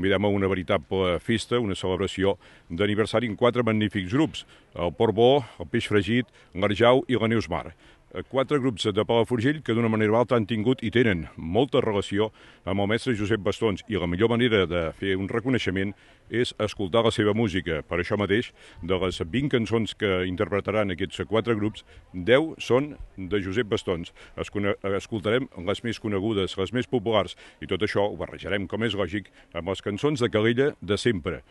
Convidem a una veritable festa, una celebració d'aniversari en 4 magnífics grups: el Porc Bo, el Peix Fregit, l'Arjau i la Neus Mar. 4 grups de Palafrugell que d'una manera o altra han tingut i tenen molta relació amb el mestre Josep Bastons, i la millor manera de fer un reconeixement és escoltar la seva música. Per això mateix, de les 20 cançons que interpretaran aquests 4 grups, 10 són de Josep Bastons. Escoltarem les més conegudes, les més populars, i tot això ho barrejarem, com és lògic, amb les cançons de Calella de sempre.